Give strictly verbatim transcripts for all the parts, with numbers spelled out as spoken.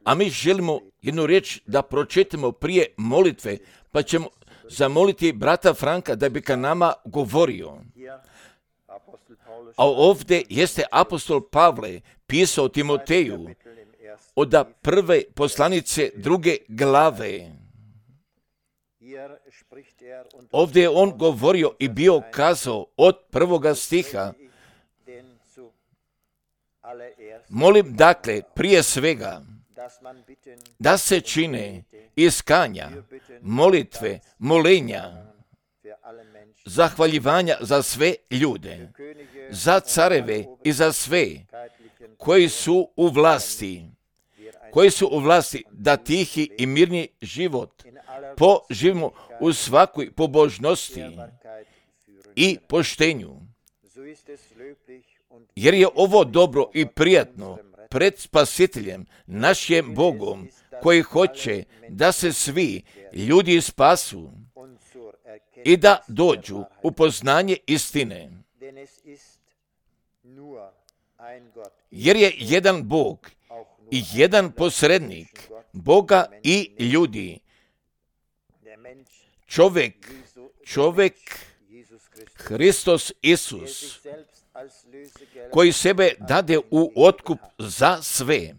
A mi želimo jednu riječ da pročitamo prije molitve, pa ćemo zamoliti brata Franka da bi ka nama govorio. A ovdje jeste apostol Pavle pisao Timoteju od prve poslanice druge glave. Ovdje je on govorio i bio kazao od prvoga stiha: molim dakle prije svega da se čine iskanja, molitve, molenja, zahvaljivanja za sve ljude, za careve i za sve koji su u vlasti, koji su u vlasti da tihi i mirni život poživimo u svakoj pobožnosti i poštenju. Jer je ovo dobro i prijatno pred Spasiteljem, našim Bogom, koji hoće da se svi ljudi spasu i da dođu u poznanje istine. Jer je jedan Bog i jedan posrednik Boga i ljudi. Čovjek, čovjek, Hristos Isus, koji sebe dade u otkup za sve,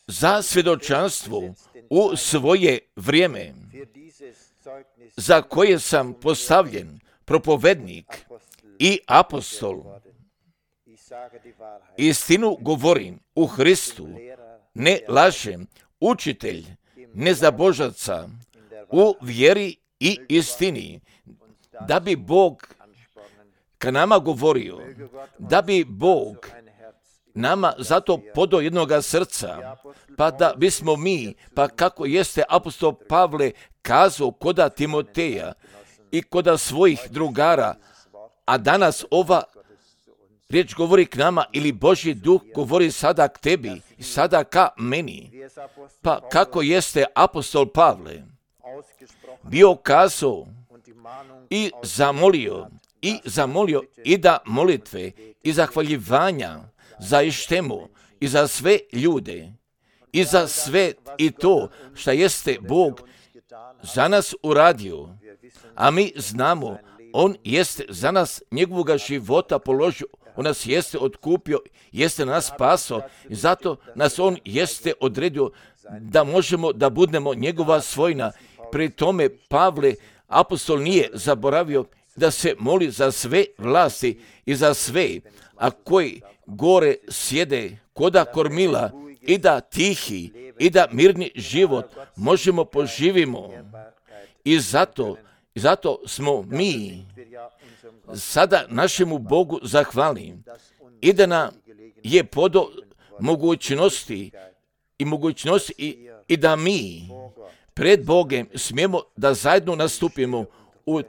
za svjedočanstvo u svoje vrijeme, za koje sam postavljen propovednik i apostol. Istinu govorim u Hristu, ne lažem, učitelj nezabožaca u vjeri i istini, da bi Bog ka nama govorio, da bi Bog nama zato podao jednoga srca, pa da bismo mi, pa kako jeste apostol Pavle kazao koda Timoteja i koda svojih drugara, a danas ova riječ govori k nama ili Božji duh govori sada k tebi i sada ka meni. Pa kako jeste apostol Pavle bio kazao i zamolio, i zamolio i da molitve i zahvaljivanja za ištemu i za sve ljude i za sve i to što jeste Bog za nas uradio. A mi znamo, on jeste za nas njegovoga života položio, on nas jeste otkupio, jeste nas spasao i zato nas on jeste odredio da možemo da budemo njegova svojina. Pri tome Pavle, apostol, nije zaboravio da se moli za sve vlasti i za sve, a koji gore sjede koda kormila i da tihi i da mirni život možemo poživimo. I zato, zato smo mi sada našemu Bogu zahvalni i da nam je podo mogućnosti i mogućnosti i, i da mi pred Bogem smijemo da zajedno nastupimo u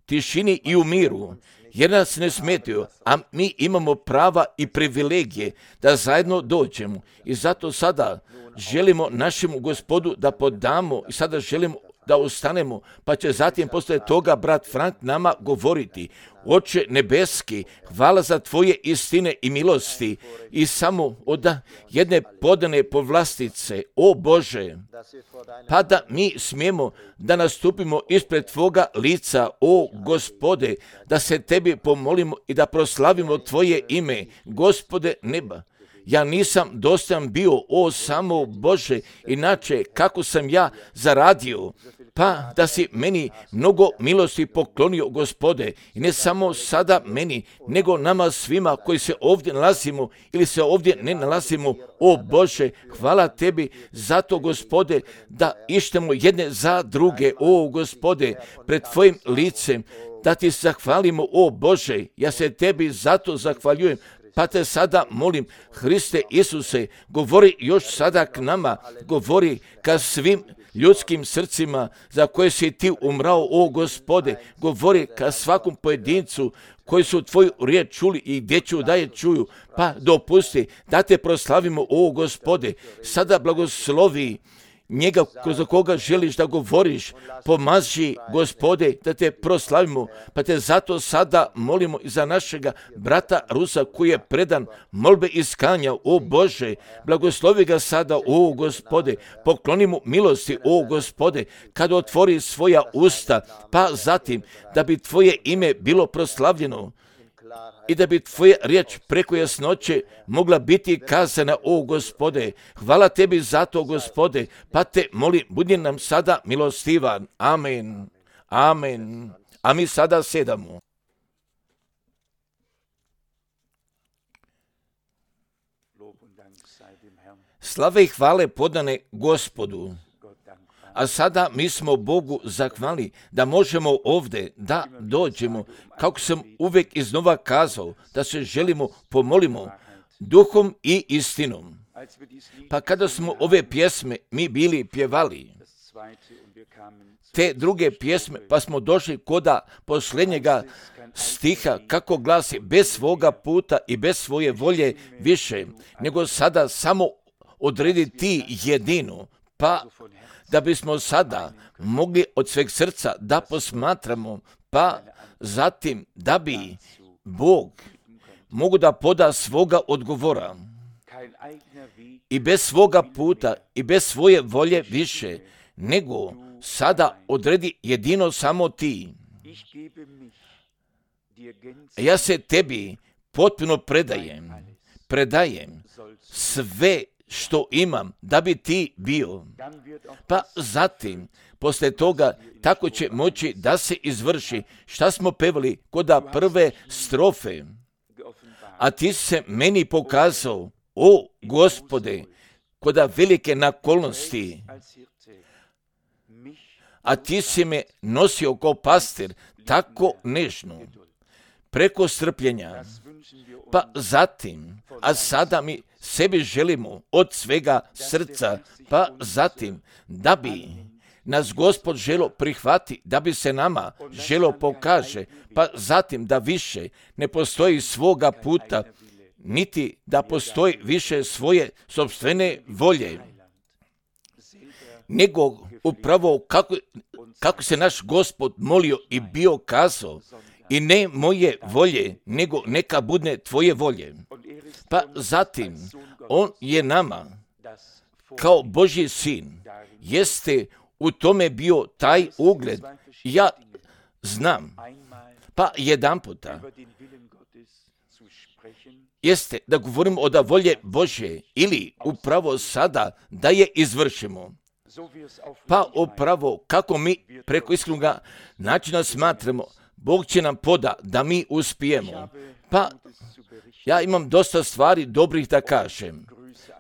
tišini i u miru, jer nas ne smetaju, a mi imamo prava i privilegije da zajedno dođemo. I zato sada želimo našemu Gospodu da podamo i sada želimo da ustanemo, pa će zatim poslije toga brat Frank nama govoriti. Oče nebeski, hvala za tvoje istine i milosti i samo od jedne podane povlastice, o Bože, pa da mi smijemo da nastupimo ispred tvoga lica, o Gospode, da se tebi pomolimo i da proslavimo tvoje ime, Gospode neba. Ja nisam dostojan bio, o samo Bože, inače kako sam ja zaradio, pa da si meni mnogo milosti poklonio, Gospode, i ne samo sada meni, nego nama svima koji se ovdje nalazimo ili se ovdje ne nalazimo, o Bože, hvala tebi zato, Gospode, da ištemo jedne za druge, o Gospode, pred tvojim licem, da ti zahvalimo, o Bože, ja se tebi zato zahvaljujem. Pa te sada molim, Hriste Isuse, govori još sada k nama, govori ka svim ljudskim srcima za koje si ti umrao, o Gospode, govori ka svakom pojedincu koji su tvoju riječ čuli i gdje ću da je čuju, pa dopusti da te proslavimo, o Gospode, sada blagoslovi njega za koga želiš da govoriš, pomaži, Gospode, da te proslavimo, pa te zato sada molimo i za našega brata Rusa koji je predan molbe iskanja, o Bože, blagoslovi ga sada, o Gospode, pokloni mu milosti, o Gospode, kada otvori svoja usta, pa zatim da bi tvoje ime bilo proslavljeno i da bi tvoja riječ preko jasnoće mogla biti kazana, o Gospode. Hvala tebi za to, Gospode, pa te molim, budi nam sada milostivan. Amen. Amen. A mi sada sedamo. Slave i hvale podane Gospodu. A sada mi smo Bogu zahvali da možemo ovdje da dođemo, kako sam uvijek iznova kazao, da se želimo pomolimo duhom i istinom. Pa kada smo ove pjesme mi bili pjevali, te druge pjesme, pa smo došli koda posljednjega stiha, kako glasi, bez svoga puta i bez svoje volje više, nego sada samo odredi ti jedinu, pa da bismo sada mogli od sveg srca da posmatramo, pa zatim da bi Bog mogu da poda svoga odgovora i bez svoga puta i bez svoje volje više, nego sada odredi jedino samo ti. Ja se tebi potpuno predajem, predajem sve što imam da bi ti bio. Pa zatim, posle toga, tako će moći da se izvrši šta smo pevali koda prve strofe. A ti se meni pokazao, o Gospode, koda velike nakolnosti. A ti si me nosio kao pastir, tako nežno, preko strpljenja. Pa zatim, a sada mi sebi želimo od svega srca, pa zatim da bi nas Gospod želo prihvati, da bi se nama želo pokaže, pa zatim da više ne postoji svoga puta, niti da postoji više svoje sopstvene volje, nego upravo kako, kako se naš Gospod molio i bio kazao, i ne moje volje, nego neka bude tvoje volje. Pa zatim, on je nama, kao Božji sin, jeste u tome bio taj ugled. Ja znam, pa jedan puta, jeste da govorimo od volje Božje ili upravo sada da je izvršimo. Pa upravo kako mi preko iskrenog načina smatramo, Bog će nam poda da mi uspijemo. Pa ja imam dosta stvari dobrih da kažem.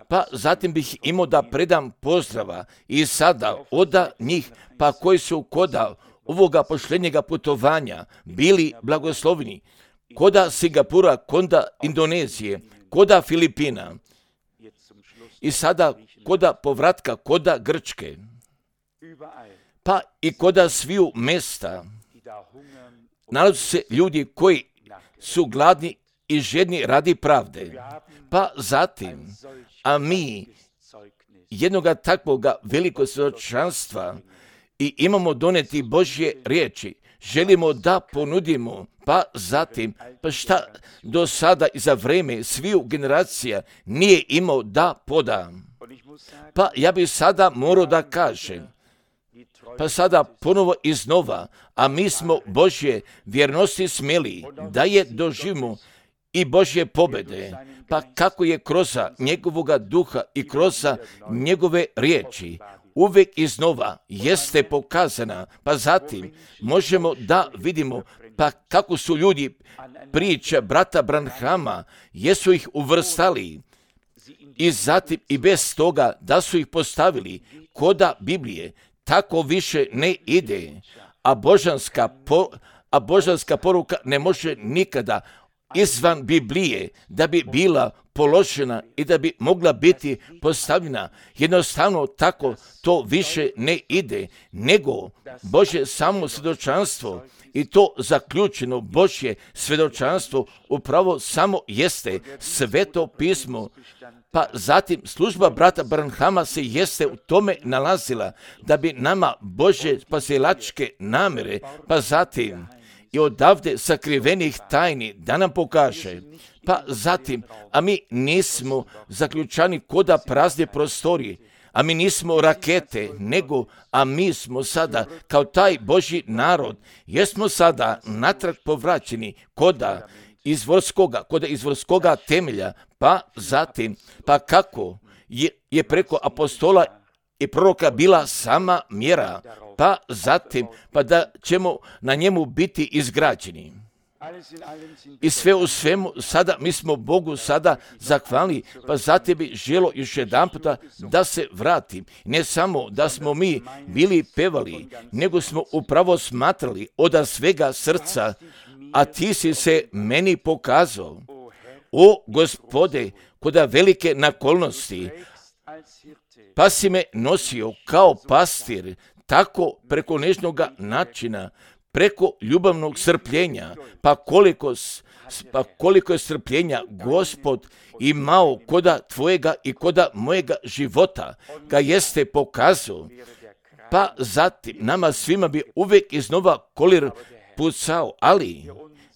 Pa zatim bih imao da predam pozdrava i sada oda njih, pa koji su koda ovoga posljednjega putovanja bili blagoslovni, koda Singapura, koda Indonezije, koda Filipina i sada koda povratka, koda Grčke, pa i koda sviju mesta. Nalaze se ljudi koji su gladni i žedni radi pravde. Pa zatim, a mi jednoga takvoga velikog svjedočanstva i imamo doneti Božje riječi, želimo da ponudimo, pa zatim, pa šta do sada i za vreme sviju generacija nije imao da poda. Pa ja bih sada morao da kažem, pa sada ponovo iznova, a mi smo Božje vjernosti smjeli da je doživimo i Božje pobjede, pa kako je kroz njegovoga duha i kroz njegove riječi uvijek iznova jeste pokazana, pa zatim možemo da vidimo pa kako su ljudi priče brata Branhama, jesu ih uvrstali i zatim i bez toga da su ih postavili koda Biblije, tako više ne ide, a božanska, po, a božanska poruka ne može nikada izvan Biblije, da bi bila položena i da bi mogla biti postavljena. Jednostavno tako to više ne ide, nego Božje samo svjedočanstvo i to zaključeno Božje svjedočanstvo upravo samo jeste Sveto pismo. Pa zatim služba brata Branhama se jeste u tome nalazila da bi nama Božje spasilačke namjere, pa zatim i odavde sakrivenih tajni da nam pokaže. Pa zatim, a mi nismo zaključani koda prazne prostorije, a mi nismo rakete, nego, a mi smo sada, kao taj Božji narod, jesmo sada natrag povraćeni koda izvorskoga, koda izvorskoga temelja, pa zatim, pa kako je, je preko apostola i proroka bila sama mjera, pa zatim, pa da ćemo na njemu biti izgrađeni. I sve u svemu, sada mi smo Bogu sada zahvalni, pa zatim bi želo još jedan puta da se vratim. Ne samo da smo mi bili pevali, nego smo upravo smatrali od svega srca, a ti si se meni pokazao, o Gospode, koda velike nakolnosti, pa si me nosio kao pastir, tako preko nežnoga načina, preko ljubavnog strpljenja, pa koliko, pa koliko je strpljenja Gospod imao koda tvojega i koda mojega života, ga jeste pokazao, pa zatim nama svima bi uvijek iznova kolir pucao, ali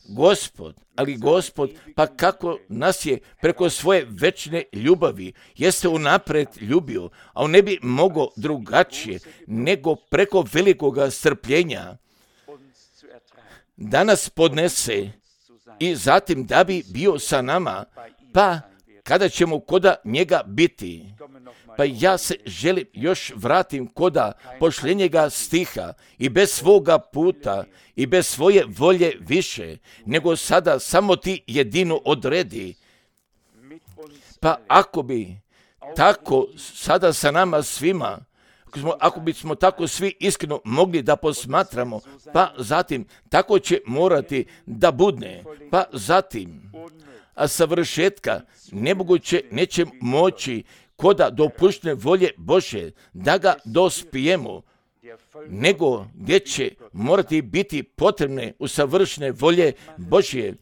Gospod, ali Gospod, pa kako nas je preko svoje večne ljubavi jeste unaprijed ljubio, a on ne bi mogao drugačije nego preko velikoga strpljenja da nas podnese i zatim da bi bio sa nama, pa kada ćemo koda njega biti. Pa ja se želim još vratim koda pošljenjega stiha i bez svoga puta i bez svoje volje više, nego sada samo ti jedino odredi. Pa ako bi tako sada sa nama svima, ako, smo, ako bismo tako svi iskreno mogli da posmatramo, pa zatim tako će morati da budne, pa zatim, a savršetka nemoguće neće moći koda dopuštene volje Bože da ga dospijemo, nego gdje će morati biti potrebne usavršene volje Božje,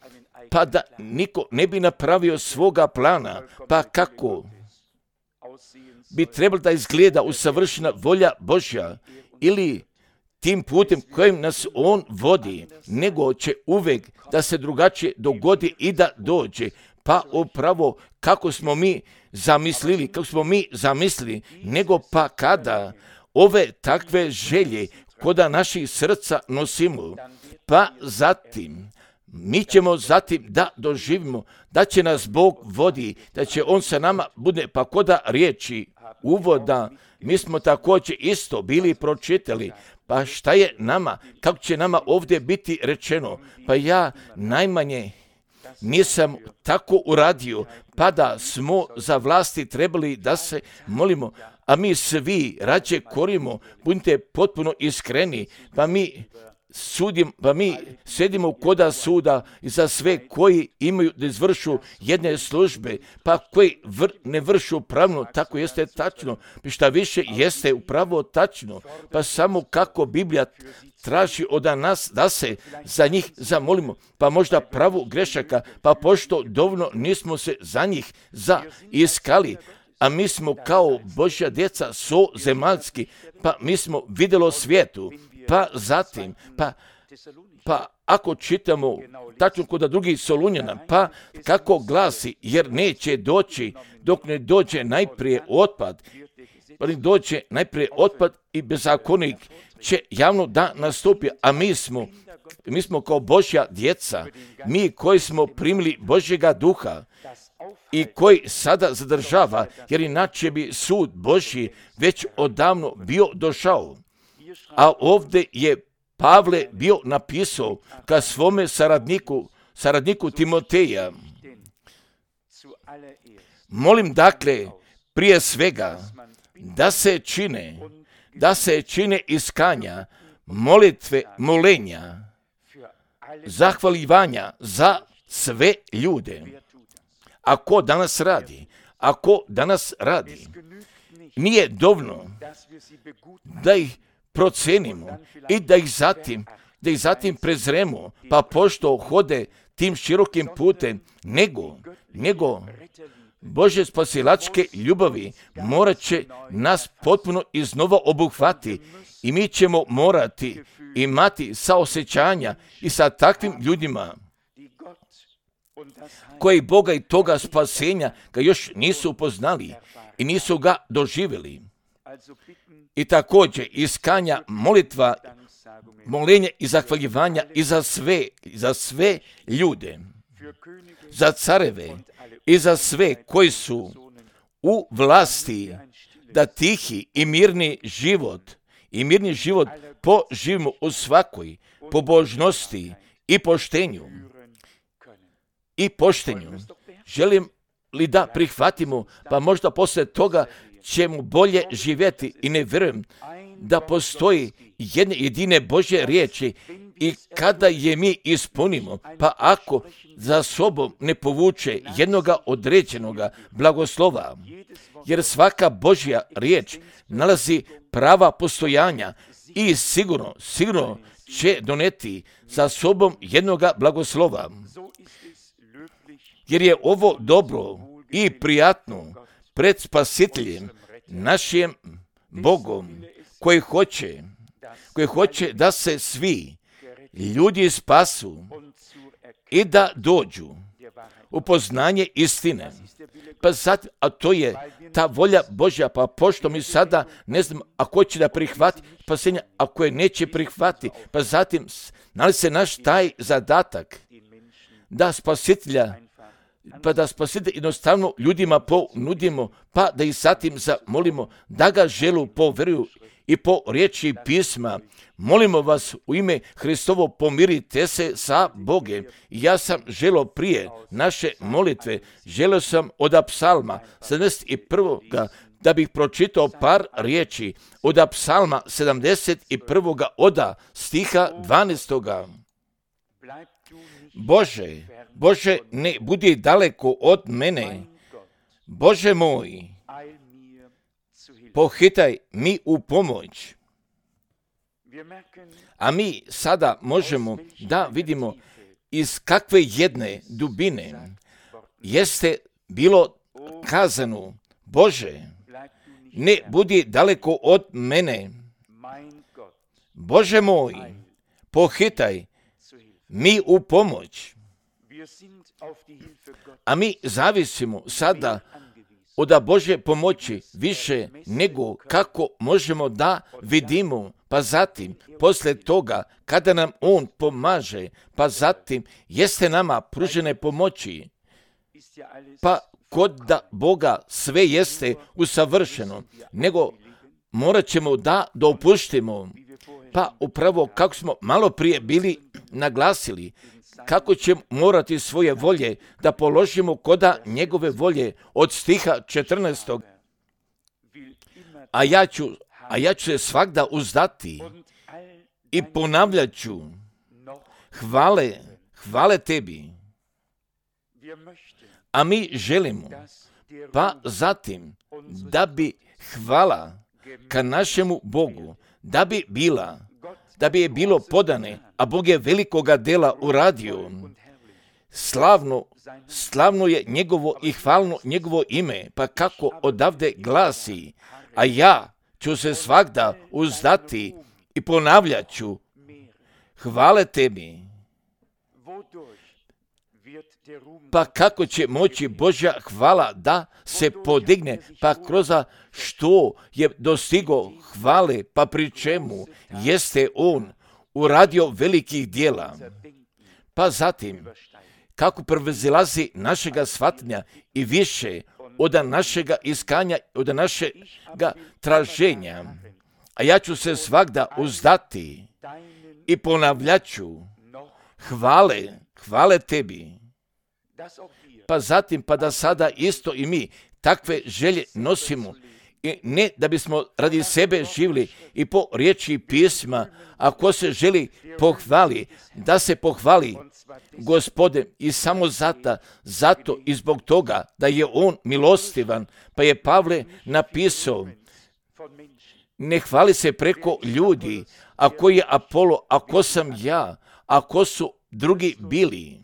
pa da niko ne bi napravio svoga plana, pa kako bi trebalo da izgleda usavršena volja Božja ili tim putem kojim nas on vodi, nego će uvijek da se drugačije dogodi i da dođe. Pa upravo kako smo mi zamislili, kako smo mi zamislili, nego pa kada ove takve želje koda naših srca nosimo, pa zatim mi ćemo zatim da doživimo da će nas Bog vodi, da će on sa nama bude, pa koda riječi uvoda, mi smo također isto bili pročitali, pa šta je nama, kako će nama ovdje biti rečeno, pa ja najmanje nisam tako uradio, pa da smo za vlasti trebali da se molimo, a mi svi rađe korimo, budite potpuno iskreni, pa mi sudim, pa mi sedimo koda suda za sve koji imaju da izvršu jedne službe, pa koji vr, ne vršu pravno, tako jeste tačno, pa šta više jeste upravo tačno, pa samo kako Biblija traži od nas da se za njih zamolimo, pa možda pravu grešaka, pa pošto dovoljno nismo se za njih zaiskali, a mi smo kao Božja djeca so zemaljski, pa mi smo vidjelo svijetu, pa zatim, pa, pa ako čitamo tačno kod drugih Solunjana, pa kako glasi, jer neće doći dok ne dođe najprije otpad, pa ne dođe najprije otpad i bezakonik će javno da nastupi, a mi smo, mi smo kao Božja djeca, mi koji smo primili Božjega duha i koji sada zadržava, jer inače bi sud Božji već odavno bio došao. A ovdje je Pavle bio napisao ka svome saradniku, saradniku Timoteja. Molim dakle, prije svega, da se čine, da se čine iskanja, molitve, molenja, zahvaljivanja za sve ljude. A ko danas radi? A ko danas radi? Nije dovoljno da ih procenimo i da ih zatim, da ih zatim prezremo, pa pošto hode tim širokim putem, nego, nego Bože spasilačke ljubavi morat će nas potpuno iznova obuhvati i mi ćemo morati imati saosjećanja i sa takvim ljudima koji Boga i toga spasenja ga još nisu upoznali i nisu ga doživjeli. I također iskanja molitva, molenje i zahvaljivanja i za sve, za sve ljude, za careve i za sve koji su u vlasti, da tihi i mirni život i mirni život poživimo u svakoj pobožnosti i poštenju. I poštenju. Želim li da prihvatimo, pa možda poslije toga ćemo bolje živjeti i ne vjerujem da postoji jedne jedine Božje riječi i kada je mi ispunimo, pa ako za sobom ne povuče jednoga određenoga blagoslova, jer svaka Božja riječ nalazi prava postojanja i sigurno, sigurno će doneti za sobom jednoga blagoslova. Jer je ovo dobro i prijatno pred Spasiteljem, našim Bogom, koji hoće, koji hoće da se svi ljudi spasu i da dođu u poznanje istine. Pa sad, a to je ta volja Božja, pa pošto mi sada ne znam ako će da prihvati spasenje, ako je neće prihvati, pa zatim nalazi se naš taj zadatak da Spasitelja pa da Spasitelj jednostavno ljudima ponudimo, pa da ih zatim zamolimo da ga želu poveruju i po riječi pisma. Molimo vas u ime Hristovo, pomirite se sa Bogom. Ja sam želio prije naše molitve, želio sam od psalma sedamdeset prvog da bih pročitao par riječi od psalma sedamdeset prvog oda stiha dvanaestog. Bože, Bože, ne budi daleko od mene. Bože moj, pohitaj mi u pomoć. A mi sada možemo da vidimo iz kakve jedne dubine jeste bilo kazano, Bože, ne budi daleko od mene. Bože moj, pohitaj mi u pomoć. A mi zavisimo sada od Božje pomoći više nego kako možemo da vidimo, pa zatim, poslije toga, kada nam On pomaže, pa zatim, jeste nama pružene pomoći, pa kod da Boga sve jeste usavršeno, nego morat ćemo da dopuštimo, pa upravo kako smo malo prije bili naglasili, kako ćemo morati svoje volje da položimo koda njegove volje od stiha četrnaestog. A ja ću, a ja ću se svakda uzdati i ponavljat ću, hvale, hvale tebi. A mi želimo, pa zatim, da bi hvala ka našemu Bogu, da bi bila, da bi je bilo podane, a Bog je velikoga dela uradio. Slavno, slavno je njegovo i hvalno njegovo ime, pa kako odavde glasi, a ja ću se svakda uzdati i ponavljat ću, hvale tebi. Pa kako će moći Božja hvala da se podigne, pa kroz što je dostigo hvale, pa pri čemu jeste On uradio velikih dijela. Pa zatim, kako prevazilazi našega shvatanja i više od našega iskanja, od našega traženja. A ja ću se svakda uzdati i ponavljat ću, hvale, hvale tebi. Pa zatim, pa da sada isto i mi takve želje nosimo I ne da bismo radi sebe živjeli i po riječi pisma, ako se želi pohvali, da se pohvali Gospode i samo zato, zato i zbog toga da je on milostivan, pa je Pavle napisao, ne hvali se preko ljudi, a ko je Apolo, a ko sam ja, a ko su drugi bili,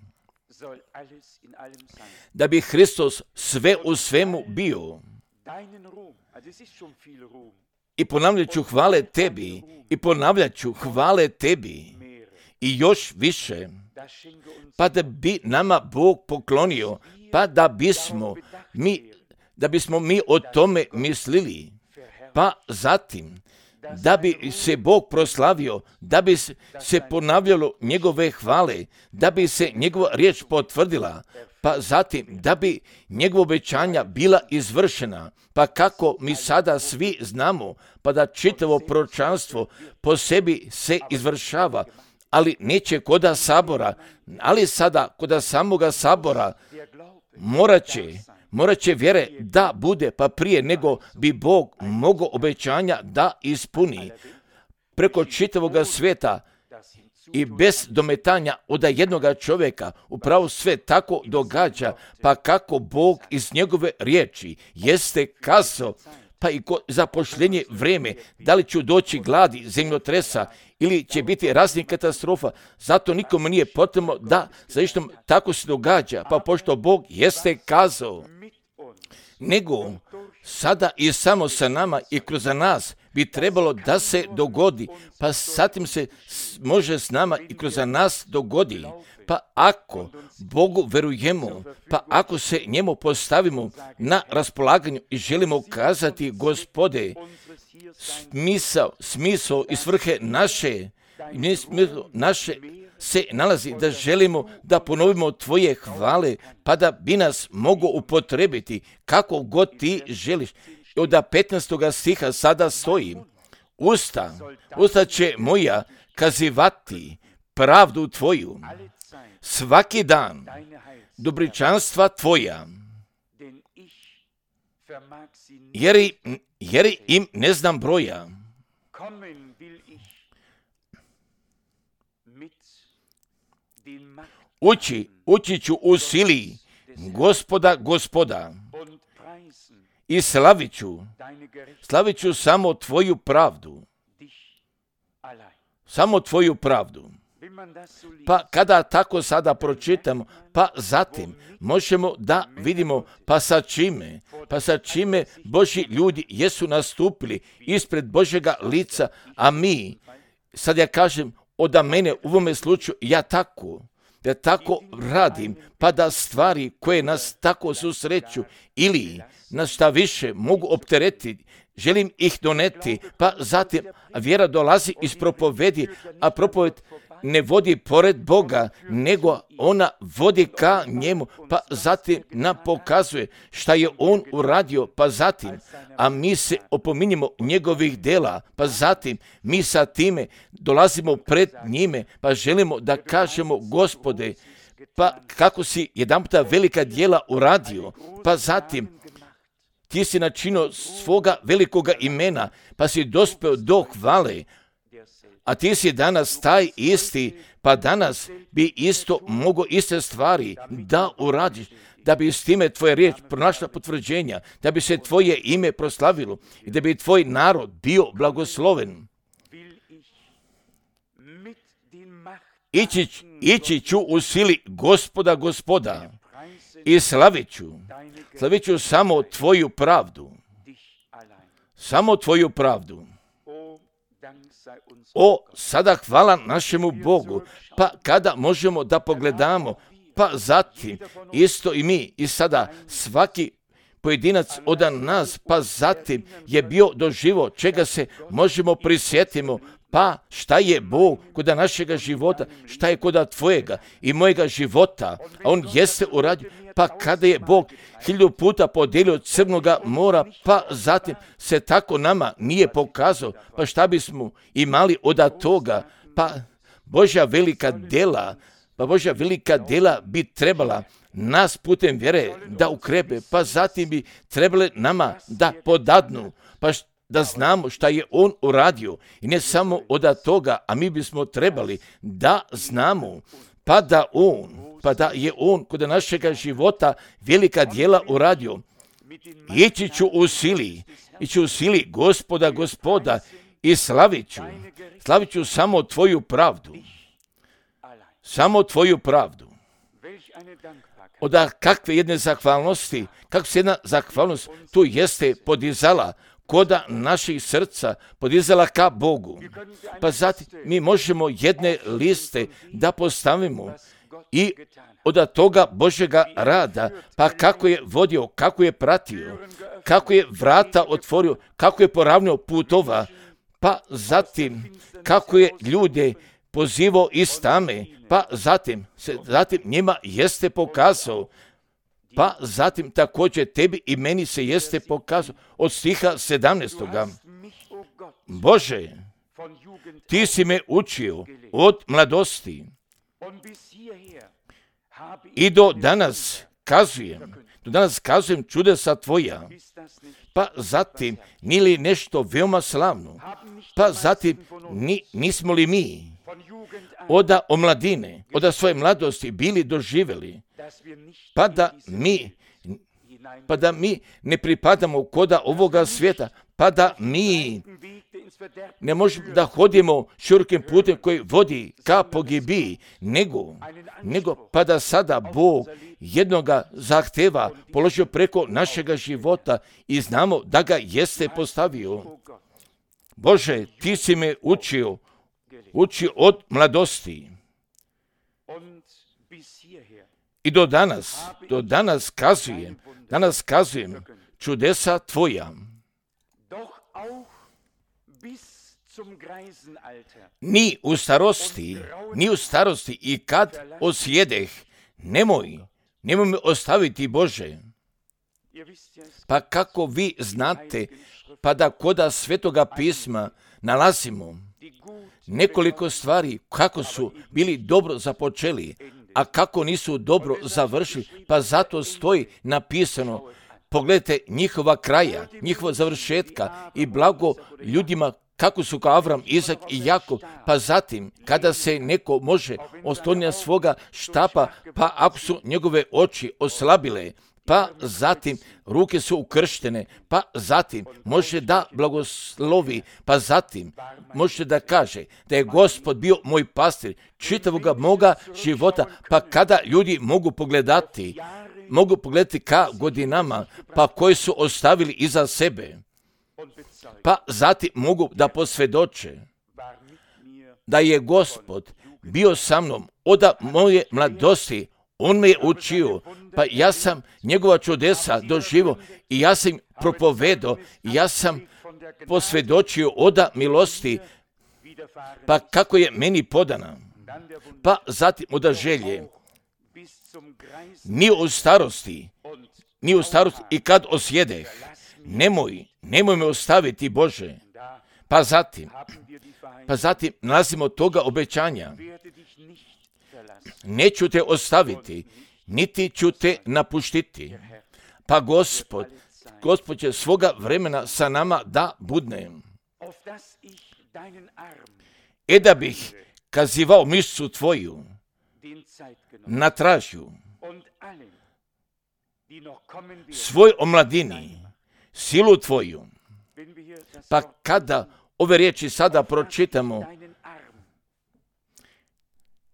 da bi Hristos sve u svemu bio. I ponavljat ću hvale tebi, i ponavljat ću hvale tebi, i još više, pa da bi nama Bog poklonio, pa da bismo mi, da bismo mi o tome mislili, pa zatim, da bi se Bog proslavio, da bi se ponavljalo njegove hvale, da bi se njegova riječ potvrdila, pa zatim da bi njegova obećanja bila izvršena, pa kako mi sada svi znamo, pa da čitavo proročanstvo po sebi se izvršava, ali neće koda sabora, ali sada koda samoga sabora morat će, morat će vjere da bude, pa prije nego bi Bog mogao obećanja da ispuni preko čitavoga svijeta i bez dometanja od jednoga čovjeka. Upravo sve tako događa, pa kako Bog iz njegove riječi jeste kazao, pa i zapošljenje vrijeme, da li ću doći gladi, zemljotresa ili će biti raznih katastrofa, zato nikome nije potrebno da zašto tako se događa, pa pošto Bog jeste kazao, nego sada i samo sa nama i kroz nas bi trebalo da se dogodi, pa zatim se može s nama i kroz nas dogodi. Pa ako Bogu verujemo, pa ako se njemu postavimo na raspolaganju i želimo kazati, Gospode, smisao, smisao i svrhe naše, naše se nalazi da želimo da ponovimo tvoje hvale, pa da bi nas mogo upotrebiti kako god ti želiš. Od petnaestoga stiha sada stoji, usta, usta će moja kazivati pravdu tvoju, svaki dan dobričanstva tvoja, jer, jer im ne znam broja. Ući, ući ću u sili Gospoda, Gospoda, i slavit ću, slavit ću samo tvoju pravdu, samo tvoju pravdu. Pa kada tako sada pročitamo, pa zatim možemo da vidimo pa sa čime, pa sa čime Božji ljudi jesu nastupili ispred Božjega lica, a mi, sad ja kažem, od mene u ovome slučaju ja tako, da tako radim, pa da stvari koje nas tako susreću ili nas šta više mogu opteretiti, želim ih doneti, pa zatim vjera dolazi iz propovedi, a propoved ne vodi pored Boga, nego ona vodi ka njemu, pa zatim nam pokazuje šta je on uradio, pa zatim, a mi se opominjemo njegovih dela, pa zatim mi sa time dolazimo pred njime, pa želimo da kažemo, Gospode, pa kako si jedanputa velika djela uradio, pa zatim ti si načinio svoga velikoga imena, pa si dospeo do hvale, a ti si danas taj isti, pa danas bi isto mogo iste stvari da uradiš, da bi s time tvoja riječ pronašla potvrđenja, da bi se tvoje ime proslavilo i da bi tvoj narod bio blagosloven. Ići, ići ću u sili Gospoda, Gospoda, i slavit ću, slavit ću samo tvoju pravdu, samo tvoju pravdu. O, sada hvala našemu Bogu, pa kada možemo da pogledamo, pa zatim isto i mi i sada svaki pojedinac od nas, pa zatim je bio doživo čega se možemo prisjetimo, pa šta je Bog kod našega života, šta je kod tvojega i mojega života, a on jeste uradio, pa kada je Bog hiljadu puta podijelio Crnoga mora, pa zatim se tako nama nije pokazao, pa šta bismo imali od toga, pa Božja velika djela, pa Božja velika djela bi trebala nas putem vjere da ukrepe, pa zatim bi trebali nama da podadnu, pa št, da znamo šta je on uradio. I ne samo od toga, a mi bismo trebali da znamo, pa da on, pa da je on kod našega života velika djela uradio. Ići ću u sili, ići u sili Gospoda, Gospoda, i slavit ću, slavit ću samo tvoju pravdu, samo tvoju pravdu. Od kakve jedne zahvalnosti, kako se jedna zahvalnost tu jeste podizala koda naših srca, podizala ka Bogu. Pa zatim mi možemo jedne liste da postavimo i od toga Božjega rada, pa kako je vodio, kako je pratio, kako je vrata otvorio, kako je poravnio putova, pa zatim kako je ljude pozivao iz tame, pa zatim, zatim njima jeste pokazao, pa zatim također tebi i meni se jeste pokazao od stiha sedamnaestoga. Bože, ti si me učio od mladosti i do danas kazujem, do danas kazujem čudesa tvoja. Pa zatim, nije li nešto veoma slavno? Pa zatim, ni, nismo li mi oda omladine, oda svoje mladosti bili doživjeli, pa da mi, pa da mi ne pripadamo koda ovoga svijeta, pa da mi ne možemo da hodimo širokim putem koji vodi ka pogibiji, nego, nego pa da sada Bog jednoga zahteva položio preko našega života i znamo da ga jeste postavio. Bože, ti si me učio, učio od mladosti. I do danas, do danas kazujem, danas kazujem čudesa tvoja. Ni u starosti, ni u starosti i kad osjedeh, nemoj, nemoj me ostaviti, Bože. Pa kako vi znate, pa da koda Svetoga pisma nalazimo nekoliko stvari kako su bili dobro započeli, a kako nisu dobro završili, pa zato stoji napisano, pogledajte njihova kraja, njihova završetka i blago ljudima kako su kao Avram, Izak i Jakov, pa zatim kada se neko može osloniti na svoga štapa, pa ako su njegove oči oslabile, pa zatim ruke su ukrštene, pa zatim može da blagoslovi, pa zatim može da kaže da je Gospod bio moj pastir čitavoga moga života, pa kada ljudi mogu pogledati, mogu pogledati ka godinama, pa koji su ostavili iza sebe, pa zatim mogu da posvjedoče da je Gospod bio sa mnom od moje mladosti, on me je učio, pa ja sam njegova čudesa doživio i ja sam propovedao, ja sam posvjedočio oda milosti, pa kako je meni podana, pa zatim oda želje, ni u starosti, ni u starosti i kad osjedeh, nemoj, nemoj me ostaviti, Bože. Pa zatim, pa zatim nalazimo toga obećanja. Neću te ostaviti, niti ću te napuštiti. Pa Gospod, Gospod će svoga vremena sa nama da budne. E da bih kazivao mišcu tvoju na tražju, svoj omladini, silu tvoju. Pa kada ove riječi sada pročitamo,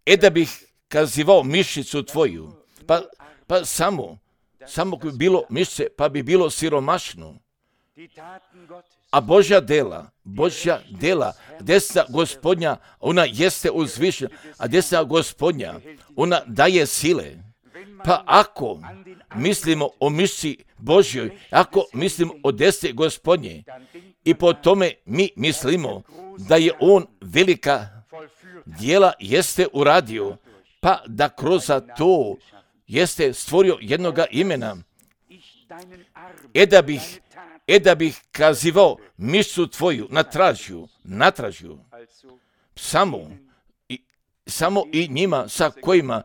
e da bih kazivao mišicu tvoju, pa, pa samo, samo bi bilo mišice, pa bi bilo siromašno. A Božja dela, Božja dela, desna Gospodnja, ona jeste uzvišena, a desna Gospodnja, ona daje sile. Pa ako mislimo o mišici Božjoj, ako mislimo o desne Gospodnje, i po tome mi mislimo da je on velika djela jeste uradio, pa da kroz to jeste stvorio jednoga imena. E da bih, e da bih kazivao mišcu tvoju na tražju, na tražju, samo i, samo i njima sa kojima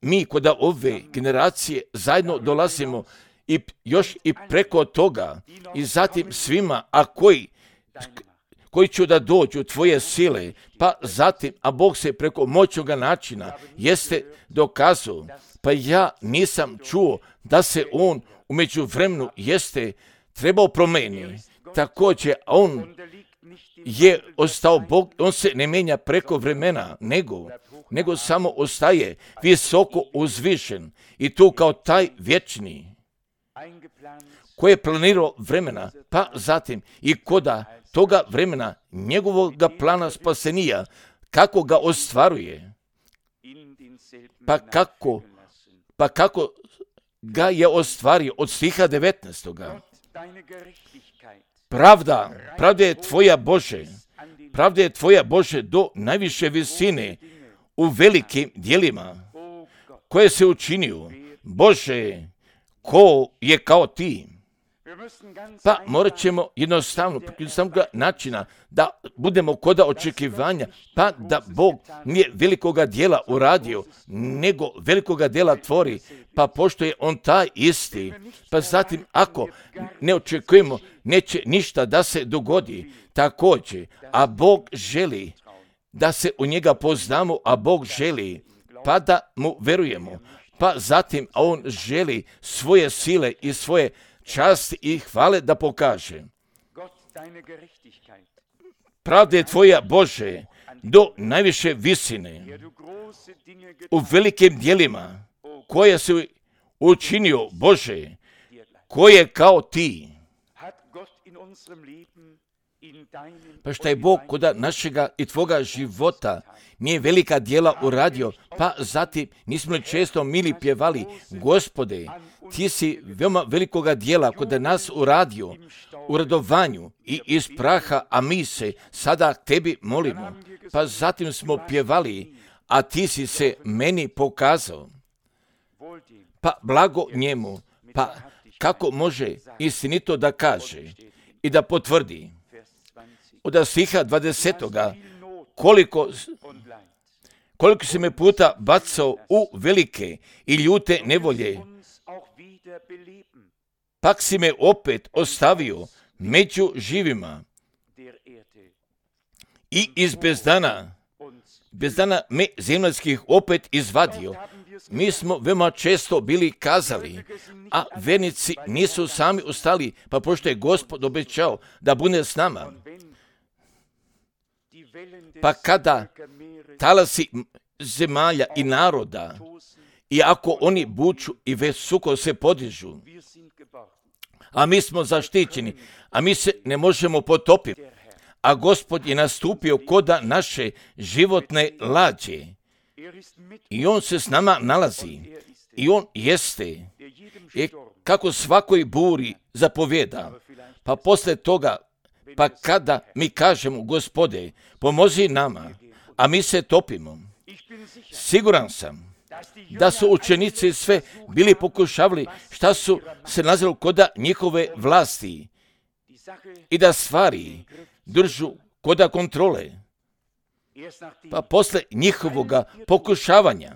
mi kod ove generacije zajedno dolazimo i još i preko toga i zatim svima, a koji, koji će da dođu tvoje sile, pa zatim, a Bog se preko moćnoga načina jeste dokazao, pa ja nisam čuo da se on u međuvremenu jeste trebao promeniti. Također, on je ostao Bog, on se ne menja preko vremena, nego, nego samo ostaje visoko uzvišen i tu kao taj vječni koji je planirao vremena, pa zatim i koda toga vremena njegovog plana spasenija, kako ga ostvaruje, pa kako, pa kako ga je ostvario od stiha devetnaestog. Pravda, pravda je tvoja Bože, pravda je tvoja Bože do najviše visine u velikim djelima koje se učinio. Bože, ko je kao ti? Pa morat ćemo jednostavno, jednostavnog načina da budemo koda očekivanja, pa da Bog nije velikoga djela uradio, nego velikoga djela tvori, pa pošto je on taj isti, pa zatim ako ne očekujemo, neće ništa da se dogodi također, a Bog želi da se u njega poznamo, a Bog želi pa da mu verujemo, pa zatim a on želi svoje sile i svoje časti i hvale da pokaže. Pravda je tvoja Bože do najviše visine u velikim djelima koje se učinio Bože, koje je kao ti. Pa šta je Bog kod našega i tvoga života nije velika djela uradio, pa zatim nismo li često mili pjevali, Gospode, ti si veoma velikoga djela kod nas uradio u radovanju i iz praha, a mi se sada tebi molimo. Pa zatim smo pjevali, a ti si se meni pokazao. Pa blago njemu, pa kako može istinito da kaže i da potvrdi. Od stiha dvadesetoga koliko, koliko si me puta bacao u velike i ljute nevolje, pak si me opet ostavio među živima i iz bezdana, bezdana me zemaljskih opet izvadio. Mi smo veoma često bili kazali, a vernici nisu sami ostali, pa pošto je Gospod obećao da bude s nama. Pa kada talasi zemalja i naroda, i ako oni buču i visoko se podižu, a mi smo zaštićeni, a mi se ne možemo potopiti, a Gospod je nastupio koda naše životne lađe i on se s nama nalazi i on jeste i kako svakoj buri zapovjeda, pa posle toga, pa kada mi kažemo, Gospode, pomozi nama, a mi se topimo, siguran sam da su učenici sve bili pokušavali šta su se nazvali koda njihove vlasti i da stvari držu koda kontrole. Pa posle njihovoga pokušavanja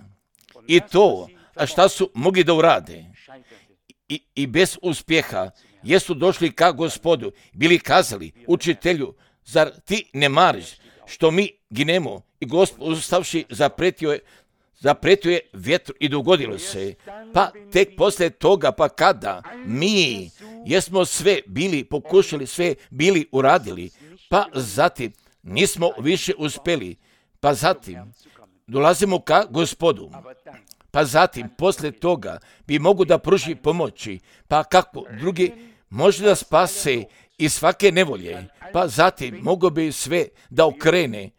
i to, a šta su mogli da urade i, i bez uspjeha, jesu došli ka Gospodu, bili kazali, učitelju, zar ti ne mariš što mi ginemo? I Gospod ustavši zapretio je, zapretio je vjetru i dogodilo se. Pa tek posle toga, pa kada mi jesmo sve bili pokušali, sve bili uradili, pa zatim nismo više uspjeli, pa zatim dolazimo ka Gospodu. Pa zatim, posle toga, bi mogu da pruži pomoći, pa kako drugi može da spase iz svake nevolje, pa zatim mogu bi sve da okrene,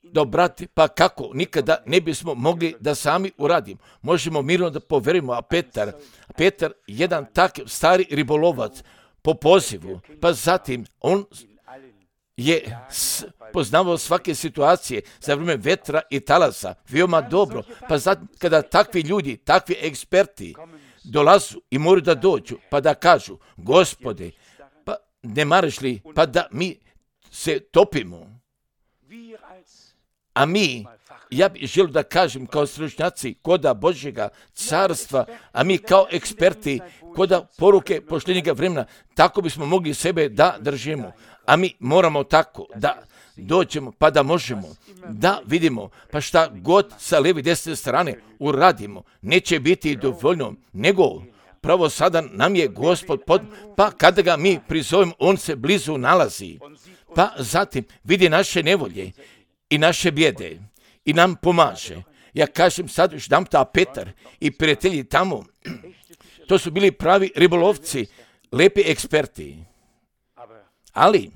da obrati, pa kako nikada ne bismo mogli da sami uradimo. Možemo mirno da poverimo, a Petar, Petar, jedan takav stari ribolovac po pozivu, pa zatim on je poznavao svake situacije za vrijeme vetra i talasa, veoma dobro, pa zatim kada takvi ljudi, takvi eksperti dolazu i moraju da dođu, pa da kažu, Gospode, pa ne maraš li, pa da mi se topimo, a mi ja bih želio da kažem kao stručnjaci koda Božjega carstva, a mi kao eksperti koda poruke poštenjega vremena, tako bismo mogli sebe da držimo. A mi moramo tako da dođemo pa da možemo da vidimo pa šta god sa lijeve i desne strane uradimo, neće biti dovoljno, nego pravo sada nam je Gospod pod, pa kada ga mi prizovemo, on se blizu nalazi. Pa zatim vidi naše nevolje i naše bijede i nam pomaže. Ja kažem sad još dam ta Petar i prijatelji tamo, to su bili pravi ribolovci, lepi eksperti, ali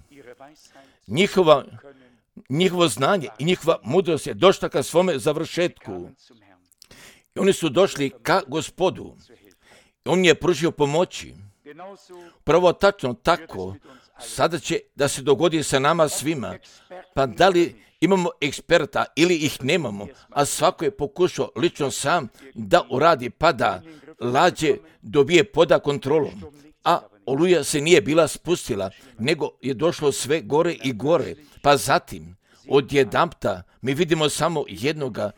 njihova, njihovo znanje i njihova mudrost je došla ka svome završetku. I oni su došli ka Gospodu. On je pružio pomoći. Prvo tačno tako, sada će da se dogodi sa nama svima. Pa da li imamo eksperta ili ih nemamo, a svako je pokušao lično sam da uradi pa da lađe dobije poda kontrolom. A oluja se nije bila spustila, nego je došlo sve gore i gore. Pa zatim, odjedanpta mi vidimo samo jednoga,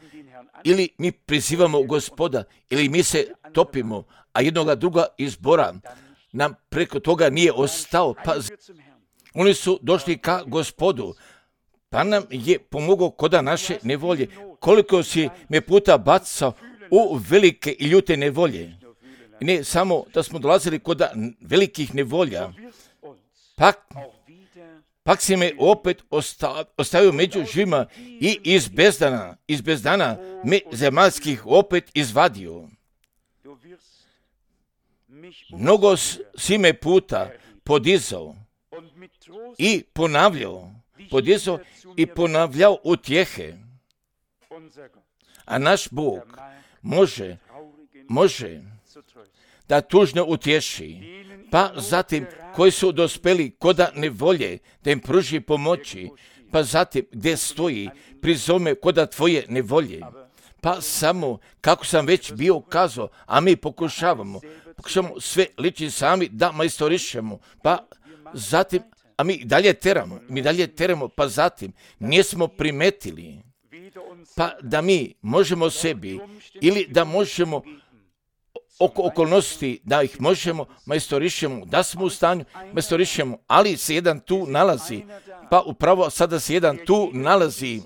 ili mi prizivamo Gospoda, ili mi se topimo, a jednoga druga izbora nam preko toga nije ostao. Pa oni su došli ka Gospodu, pa nam je pomogao koda naše nevolje. Koliko si me puta bacao u velike i ljute nevolje. Ne samo da smo dolazili koda velikih nevolja, pak, pak si me opet ostavio među živima i iz bezdana, iz bezdana me zemaljskih opet izvadio. Mnogo si me puta podizao i ponavljao, podizao i ponavljao utjehe. A naš Bog može, može da tužno utješi, pa zatim koji su dospeli koda nevolje, da im pruži pomoći, pa zatim gdje stoji, prizove koda tvoje nevolje. Pa samo, kako sam već bio kazao, a mi pokušavamo, pokušavamo sve liči sami da majstorišemo, pa zatim, a mi dalje teramo, mi dalje teramo, pa zatim nismo primetili, pa da mi možemo sebi ili da možemo oko okolnosti, da ih možemo majstorišemo, da smo u stanju majstorišemo, ali se jedan tu nalazi, pa upravo sada se jedan tu nalazi,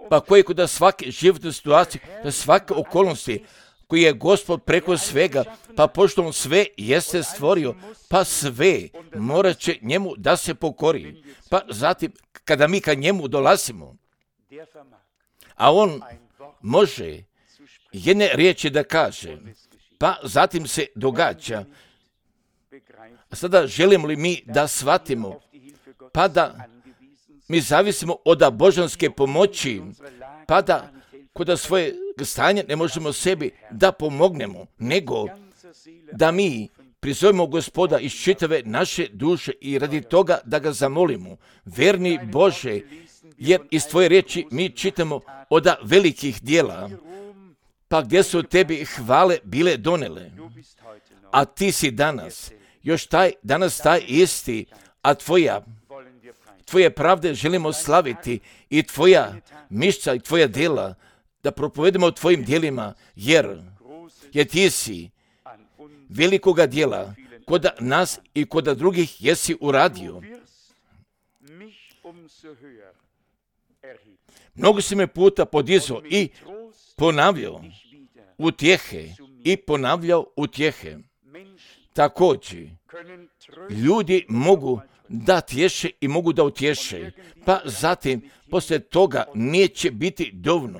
pa koji kod da svake životne situacije, da svake okolnosti, koji je Gospod preko svega, pa pošto on sve jeste stvorio, pa sve morat će njemu da se pokori. Pa zatim, kada mi ka njemu dolazimo, a on može jedne riječi da kaže, pa zatim se događa. A sada želimo li mi da shvatimo, pa da mi zavisimo od božanske pomoći, pa da kod svoje stanje ne možemo sebi da pomognemo, nego da mi prizovemo Gospoda iz čitave naše duše i radi toga da ga zamolimo. Verni Bože, jer iz tvoje riječi mi čitamo od velikih dijela, pa gdje su tebi hvale bile donele, a ti si danas, još taj, danas taj isti, a tvoja, tvoje pravde želimo slaviti i tvoja mišća i tvoja djela, da propovedemo o tvojim djelima, jer, jer ti si velikoga djela kod nas i kod drugih jesi uradio. Mnogo si me puta podizao i ponavljao utjehe i ponavljao utjehe. Također, ljudi mogu da tješe i mogu da utješe, pa zatim poslije toga neće biti dovoljno.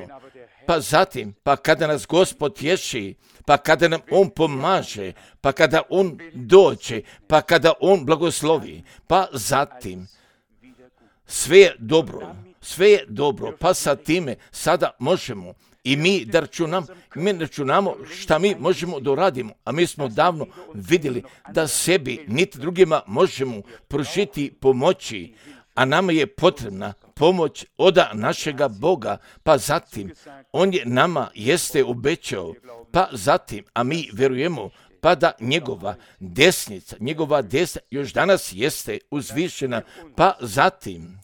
Pa zatim, pa kada nas Gospod tješi, pa kada nam On pomaže, pa kada On dođe, pa kada On blagoslovi, pa zatim sve je dobro, sve je dobro, pa sa time sada možemo i mi da računamo, mi računamo šta mi možemo da uradimo, a mi smo davno vidjeli da sebi niti drugima možemo pružiti pomoći, a nama je potrebna pomoć od našega Boga, pa zatim On je nama jeste obećao, pa zatim, a mi vjerujemo, pa da njegova desnica, njegova desna još danas jeste uzvišena, pa zatim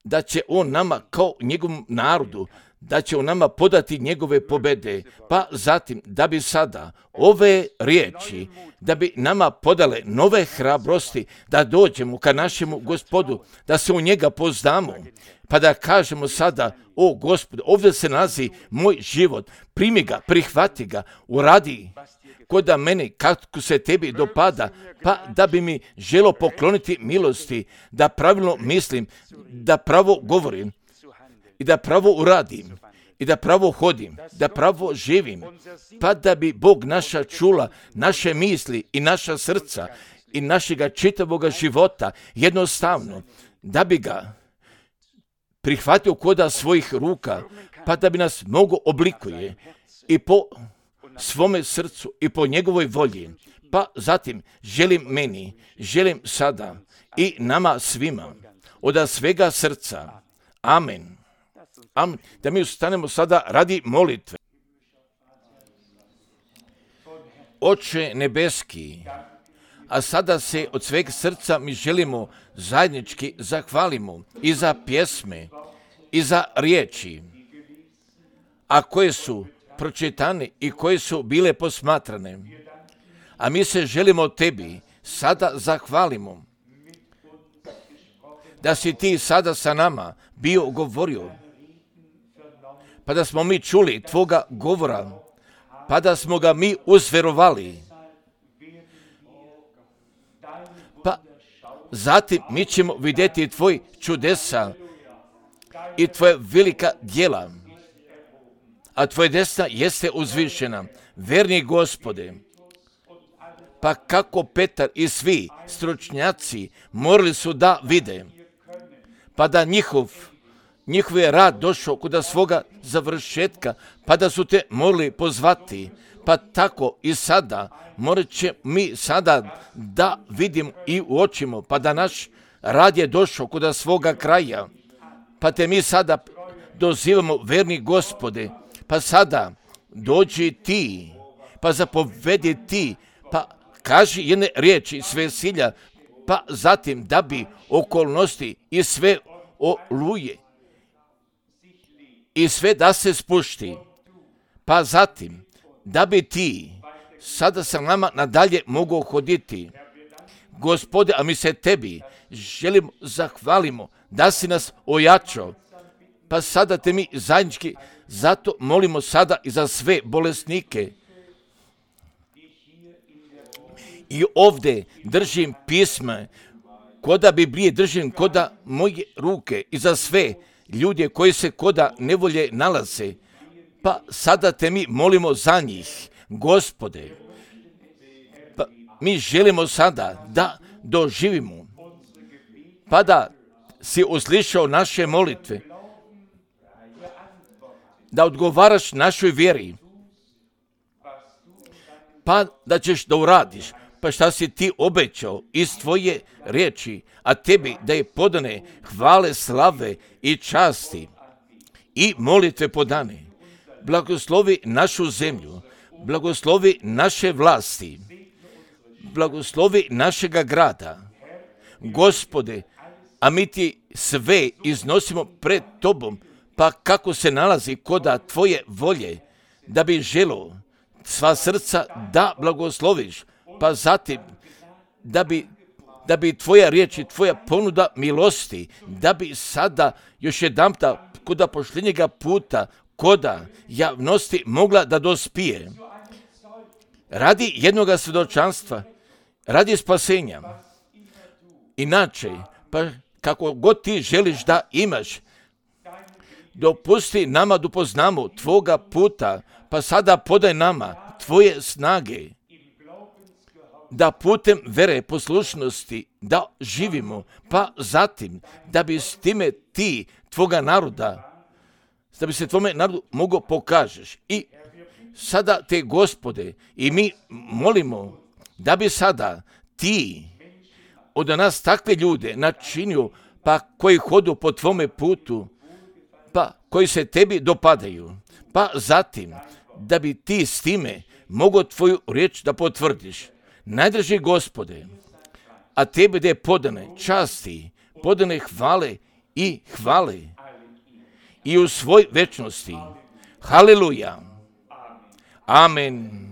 da će on nama kao njegovom narodu, da će on nama podati njegove pobede, pa zatim da bi sada ove riječi, da bi nama podale nove hrabrosti, da dođemo ka našemu Gospodu, da se u njega poznamo, pa da kažemo sada, o Gospod, ovdje se nalazi moj život, primi ga, prihvati ga, uradi koda meni kako se tebi dopada, pa da bi mi želo pokloniti milosti, da pravilno mislim, da pravo govorim i da pravo uradim i da pravo hodim, da pravo živim, pa da bi Bog naša čula, naše misli i naša srca i našega čitavoga života jednostavno, da bi ga prihvatio koda svojih ruka, pa da bi nas mogo oblikuje i po svome srcu i po njegovoj volji. Pa zatim želim meni, želim sada i nama svima od svega srca. Amen. Amen. Da mi ustanemo sada radi molitve. Oče nebeski, a sada se od sveg srca mi želimo zajednički zahvalimo i za pjesme i za riječi, a koje su pročitane i koje su bile posmatrane. A mi se želimo tebi sada zahvalimo da si ti sada sa nama bio govorio, pa da smo mi čuli tvoga govora, pa da smo ga mi uzverovali. Pa zatim mi ćemo vidjeti tvoj čudesa i tvoje velika djela, a tvoje desna jeste uzvišena. Verni Gospode, pa kako Petar i svi stručnjaci morali su da vide, pa da njihov njihov je rad došao kod svoga završetka, pa da su te morali pozvati, pa tako i sada morat će mi sada da vidimo i uočimo, pa da naš rad je došao kod svoga kraja, pa te mi sada dozivamo, verni Gospode, pa sada dođi ti, pa zapovedi ti, pa kaži jedne riječi s vesilja, pa zatim da bi okolnosti i sve oluje i sve da se spušti, pa zatim da bi ti sada sa nama nadalje mogao hoditi. Gospode, a mi se tebi želimo zahvalimo da si nas ojačao, pa sada te mi zajednički zato molimo sada i za sve bolesnike. I ovdje držim pisma, koda Biblije držim koda moje ruke i za sve ljude koji se koda nevolje nalaze, pa sada te mi molimo za njih, Gospode. Pa mi želimo sada da doživimo, pa da si uslišao naše molitve, da odgovaraš našoj vjeri, pa da ćeš da uradiš, pa šta si ti obećao iz tvoje riječi, a tebi da je podane hvale, slave i časti i molitve podane. Blagoslovi našu zemlju, blagoslovi naše vlasti, blagoslovi našega grada. Gospode, a mi ti sve iznosimo pred tobom, pa kako se nalazi koda tvoje volje, da bi želo sva srca da blagosloviš, pa zatim da bi, da bi tvoja riječ i tvoja ponuda milosti, da bi sada još jedanputa koda pošljenjega puta, koda javnosti mogla da dospije. Radi jednoga svjedočanstva, radi spasenja. Inače, pa kako god ti želiš da imaš, dopusti nama da upoznamo tvoga puta, pa sada podaj nama tvoje snage, da putem vere poslušnosti da živimo, pa zatim da bi s time ti tvoga naroda, da bi se tvome narodu mogo pokažeš. I sada te, Gospode, i mi molimo da bi sada ti od nas takve ljude načinio, pa koji hodu po tvome putu, pa koji se tebi dopadaju, pa zatim da bi ti s time mogo tvoju riječ da potvrdiš. Najdraži Gospode, a tebi da je podane časti, podane hvale i hvale i u svoj večnosti. Haleluja. Amen.